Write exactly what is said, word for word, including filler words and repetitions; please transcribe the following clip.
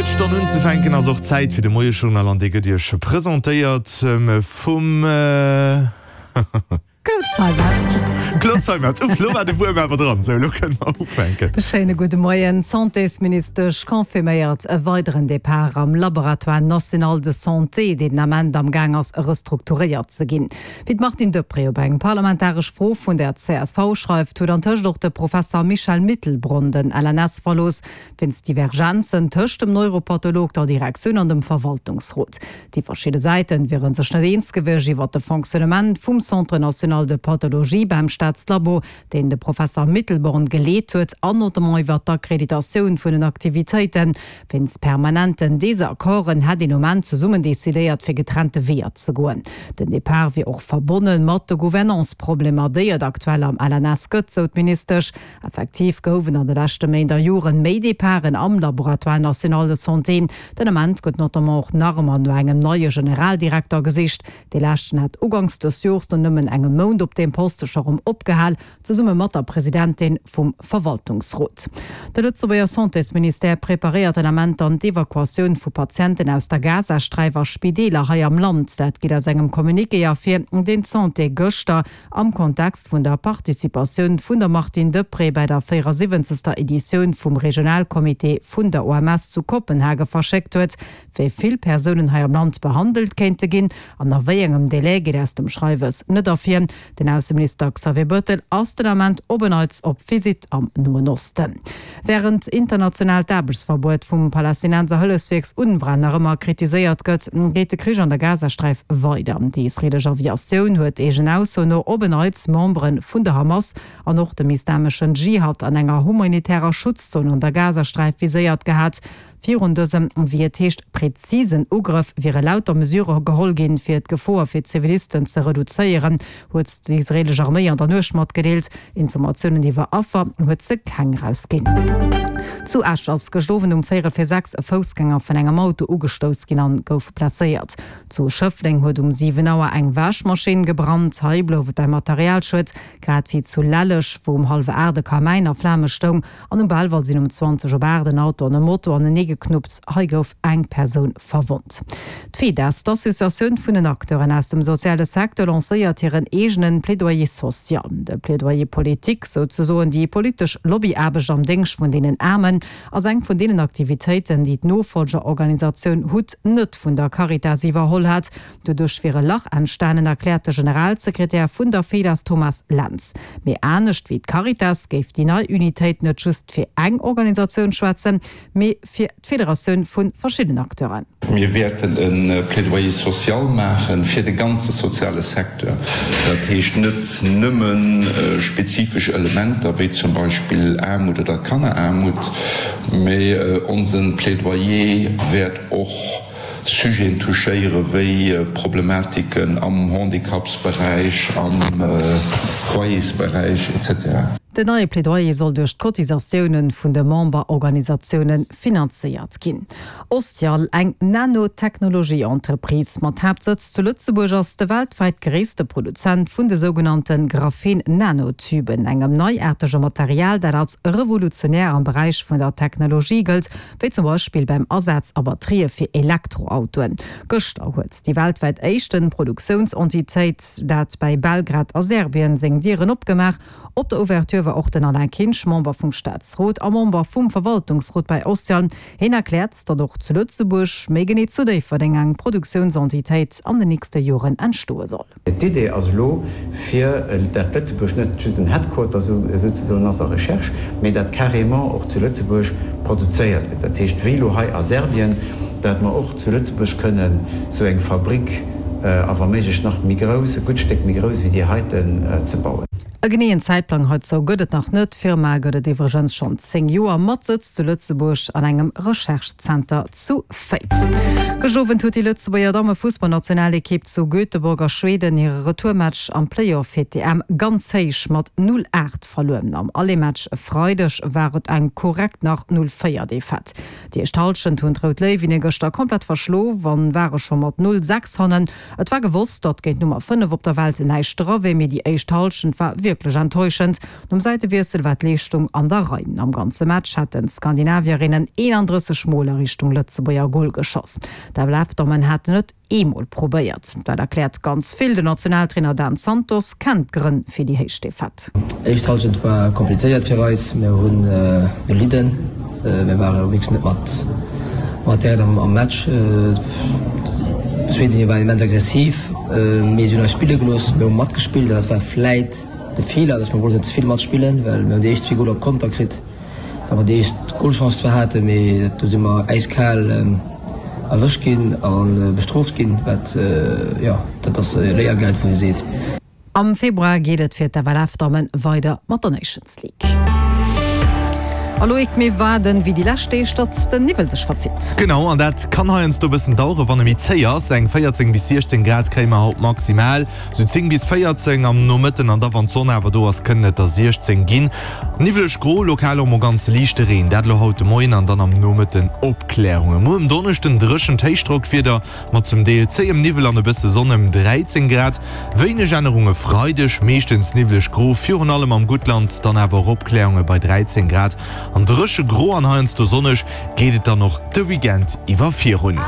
Fir d'Stonn unzefänken ass och Zäit fir de Moiejournal an dee gëtt Iech presentéiert vum Claude Zeimetz. Claude Zeimetz, Uff, lo war de Wuerm awer dran. Sou, lo kënne mer ufänken. Schéine gudde Moien. D'Santésministesch confirméiert e weideren Depart am Laboratoire national de santé, deen den Ament am Gaang ass restrukturéiert ze ginn. Wéi d'Martine Deprez op eng parlamentaresch Fro vun der C S V schreift, huet antëscht och de Professer Michel Mittelbronn den L N S verlooss, wéinst Divergenzen tëscht dem Neuropatholog, der Direktioun an dem Verwaltungsrot. Déi verschidde Säite wiere sech net eens gewiescht iwwer de Fonctionnement vum Centre national de pathologie beim Staatslabo, deen de Professer Mittelborn geleet huet, an notamment iwwer d'Akkreditatioun vun den Aktivitéiten. Wéinst permanenten Desaccorden hätt een um Enn zesummen decidéiert, fir getrennte Weeër ze goen. Den Depart wier och verbonne mat de Gouvernance-Problemer, déi et aktuell am L N S gëtt, sou d'Ministesch. Effektiv goufen an de leschte Méint a Joren méi Departen am Laboratoire national de santé. Den Ament gëtt notamment och nach ëmmer no engem neie Generaldirekter gesicht. Dee leschten hat uganks dës Jors no nëmmen engem Mount op deem Poste scho rëm opgehal, zesumme mat der Presidentin vum Verwaltungsrot. De Lëtzebuerger Santésministère preparéiert den Ament dann d'Evakuatioun vu Patienten aus der Gazasträif a Spideeler hei am Land. Dat geet aus engem Communiqué ervir, deen d'Santé gëschter am Kontext vun der Participatioun vun der Martine Deprez bei der véierasiwwenzegster Editioun vum Regionalcomité vun der O M S zu Kopenhage verschéckt huet. Wéi vill Persounen hei am Land behandelt kéinte ginn an a wéi engem Delai, geet aus dem Schreiwes net ervir. Den Ausseminister Xavier Bettel ass den Ament op en Neits op Visitt am Noen Osten. Wärend international d'Aarbechtsverbuet vum Palästinenser Hëllefswierk UNRWA nach ëmmer kritiséiert gëtt, geet de Krich an der Gazasträif weider. Déi israeelesch Aviatioun huet eegen Ausso no op en Neits Membere vun der Hamas an och dem Islameschen Dschihad an enger humanitärer Schutzzon an der Gazasträif viséiert gehat. Virun dësem, wéi et heescht, präzisen Ugrëff wiere lauter Mesure geholl ginn, fir d'Gefor fir Zivilisten ze reduzéieren, huet déi israeelesch Arméi an der Nuecht matgedeelt. Informatiounen iwwer Affer huet se keng erausginn. Zu Esch ass gëschter Owend um véierel vir sechs e Foussgänger vun engem Auto ugestouss ginn an gouf blesséiert. Zu Schëffleng huet um siwen Auer eng Wäschmaschinn gebrannt. Hei blouf et beim Materialschued, grad wéi zu Lelleg, wou um hallwer aacht e Kamäin a Flame stoung, an um Belval sinn um zwanzeg op aacht en Auto an e Moto anenee geknuppt. Hei gouf eng Persoun verwonnt. D'FEDAS, d'Associatioun vun den Acteuren aus dem soziale Secteur, lancéiert hiren eegene Plaidoyer social. De Plaidoyer politique, souzesoen déi politesch Lobbyaarbecht am Déngscht vun deenen Aarmen, ass eng vun deenen Aktivitéiten, déi d'Nofollgerorganisatioun HUT net vun der Caritas iwwerholl hat. Doduerch wier e Lach entstanen, erkläert de Generalsekretär vun der FEDAS Thomas Lentz. Mee anescht wéi d'Caritas géif déi nei Unitéit net just fir eng Organisatioun schwätzen, mee fir d'Federatioun vu verschiddenen Acteuren. Mir wäerten e Plaidoyer social maache fir de ganze soziale Secteur. Dat heescht net nëmme spezifesch Elementer wéi zum Beispill Aarmut oder Kanneraarmut, mee onse Plaidoyer wäert och Sujeten touchéiere wéi Problematiken am Handicapsberäich, am Foyersberäich et cetera. Den neie Plädoyer soll duerch d'Cotisatioune vun de Memberorganisatioune finanzéiert ginn. Ostial, eng Nanotechnologie-Entreprise mat Haaptsëtz zu Lëtzebuerg, ass de weltwäit gréisste Produzent vun de sougenannte Graphen-Nanotuben, engem neiaartege Material, dat als revolutionär am Beräich vun der Technologie gëllt, wéi zum Beispill beim Asaz a Batterië fir Elektroautoen. Gëschter huet déi weltwäit éischte Produktiounsentitéit, dat bei Belgrad a Serbien, seng Dieren opgemaach. Op der Ouverture war och den Alain Kinsch, Member vum Staatsrot a Member vum Verwaltungsrot bei Ostial. Hien erkläert, datt och zu Lëtzebuerg, méi genee zu Déifferdeng, eng Produktiounsentitéit an den nächste Joren entstoe soll. D'Idee ass elo, fir dat Lëtzebuerg net just en Headquarter souzesoen ass a Recherche, mee dat carrément och zu Lëtzebuerg produzéiert gëtt. Dat heescht, wéi elo hei a Serbien, dat mer och zu Lëtzebuerg kënnen esou eng Fabrik, a wa méiglech nach méi grouss, e gutt Stéck méi grouss wéi déi heiten, ze bauen. E geneeën Zäitplang heizou gëtt et nach net. D'Firma gëtt et iwwregens schonn zéng Joer, mat Sëtz zu Lëtzebuerg an engem Recherche-Zenter zu Féiz. Gëscht Owend huet déi Lëtzebuerger Dammefussballnationalekipp zu Göteborg a Schweden hire Retourmatch am Playoff fir d'E M ganz héich mat null aacht verluer. Am Aller-Match e Freideg war et eng korrekt nach null véier Defaite. Déi éischt Hallschent hunn d'Rout Léiwinne gëschter komplett verschlof an ware scho mat null sechs hannen. Et war gewosst, datt géint d'Nummer fënnef op der Welt näischt dra wier, mee déi éischt Hallschent war war wierklech enttäuschend. Nom Säitewiessel war d'Leeschtung an der Rei. Am ganze Match hätten d'Skandinavierinnen eenandrësseg Mol a Richtung Lëtzebuerger Gol geschoss. D'FLF-Dammen haten et eemol probéiert. Dat erkläert ganz vill. Den Nationaltrainer Dan Santos kennt d'Grënn fir déi héich Defaite. Éischt Hallschent war komplizéiert fir eis. Mir hunn gelidden. Mir ware wierklech net mat mat direkt am Match. D'Schwedinne waren immens aggressiv, mee si hunn eis spille gelooss. Mir hu matgespillt an dat war vläit de Feeler, dass mir wollten ze vill matspillen, well mir hunn déi éischt zwee Goler op Konter kritt, well mer déi éischt Golchance zwar haten, mee do si mer äiskal erwëscht ginn a bestrooft ginn, wat, jo, dat ass Léiergeld, wou ee seet. Am Februar geet et fir d'FLF-Damme weider mat der Nations League. A Loïc, mir waarden wéi déi lescht Deeg, datt den Niwwel sech verzitt. Genau, an dat kann heiansdo e bëssen daueren, wann e méi zéi ass. Eng véierzéng bis siechzéng Grad kréie mer haut maximal, sou zéng bis véierzéng am Nomëtten, an da wann d'Sonn awer do ass, kënnen et der siechzéng ginn. Niwweleg gro, lokal och mol ganz liichte Reen, dat elo haut de Moien an dann am Nomëtten Opklärungen. Muer um Donneschden dréchent Héichdrockwieder mat zum Deel zéiem Niwwel an e bësse Sonn ëm dräizéng Grad. Wéineg Ännerung e Freideg, meeschtens niwwleg gro, virun allem am Guttland, dann awer och Opklärunge bei dräizéng Grad. An dréche gro an heiansdo sonneg geet et dann och de Weekend iwwer virun.